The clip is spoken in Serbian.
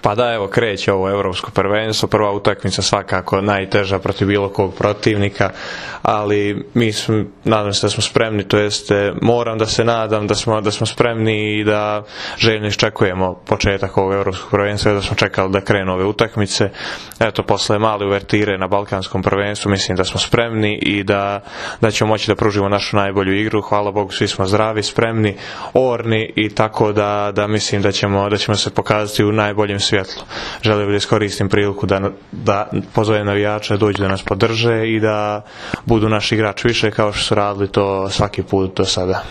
Pa da, evo, kreće ovo evropsko prvenstvo, prva utakmica svakako najteža protiv bilo kog protivnika, ali nadam se da smo spremni, to jeste moram da se nadam da smo spremni i da željno iščekujemo početak ovog evropskog prvenstva, da smo čekali da krenu ove utakmice. Eto, posle male uvertire na balkanskom prvenstvu mislim da smo spremni i da ćemo moći da pružimo našu najbolju igru. Hvala Bogu, svi smo zdravi, spremni, orni i tako da mislim da ćemo se pokazati u najboljem svjetlu. Želio bih da iskoristim priliku da pozovem navijače da dođu da nas podrže i da budu naši igrači više kao što su radili to svaki put do sada.